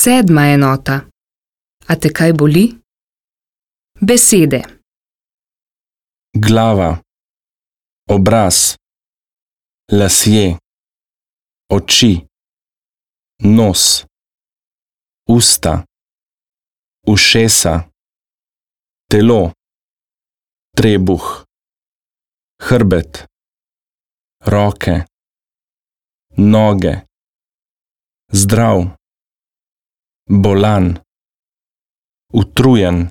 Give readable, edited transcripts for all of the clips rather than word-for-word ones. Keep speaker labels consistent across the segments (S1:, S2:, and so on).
S1: 7. enota. A te kaj boli? Besede.
S2: Glava, obraz, lasje, oči, nos, usta, ušesa, telo, trebuh, hrbet, roke, noge, zdrav, bolan, utrujen,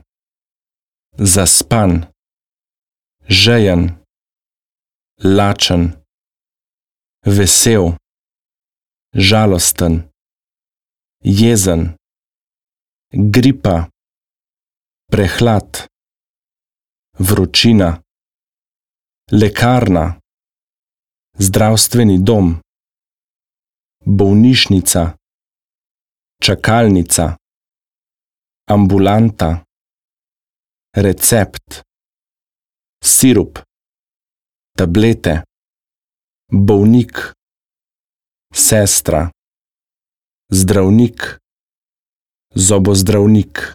S2: zaspan, žejen, lačen, vesel, žalosten, jezen, gripa, prehlad, vročina, lekarna, zdravstveni dom, bolnišnica, čakalnica, ambulanta, recept, sirup, tablete, bolnik, sestra, zdravnik, zobozdravnik.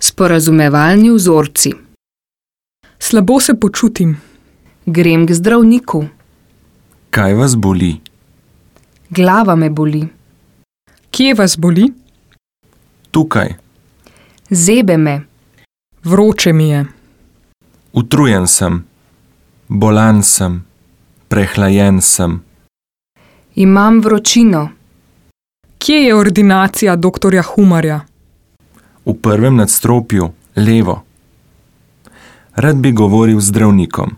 S1: Sporazumevalni vzorci.
S3: Slabo se počutim.
S1: Grem k zdravniku.
S2: Kaj vas boli?
S1: Glava me boli.
S3: Kje vas boli?
S2: Tukaj.
S1: Zebe me.
S3: Vroče mi je.
S2: Utrujen sem, bolan sem, prehlajen sem.
S1: Imam vročino.
S3: Kje je ordinacija doktorja Humarja?
S2: V prvem nadstropju, levo. Rad bi govoril z zdravnikom.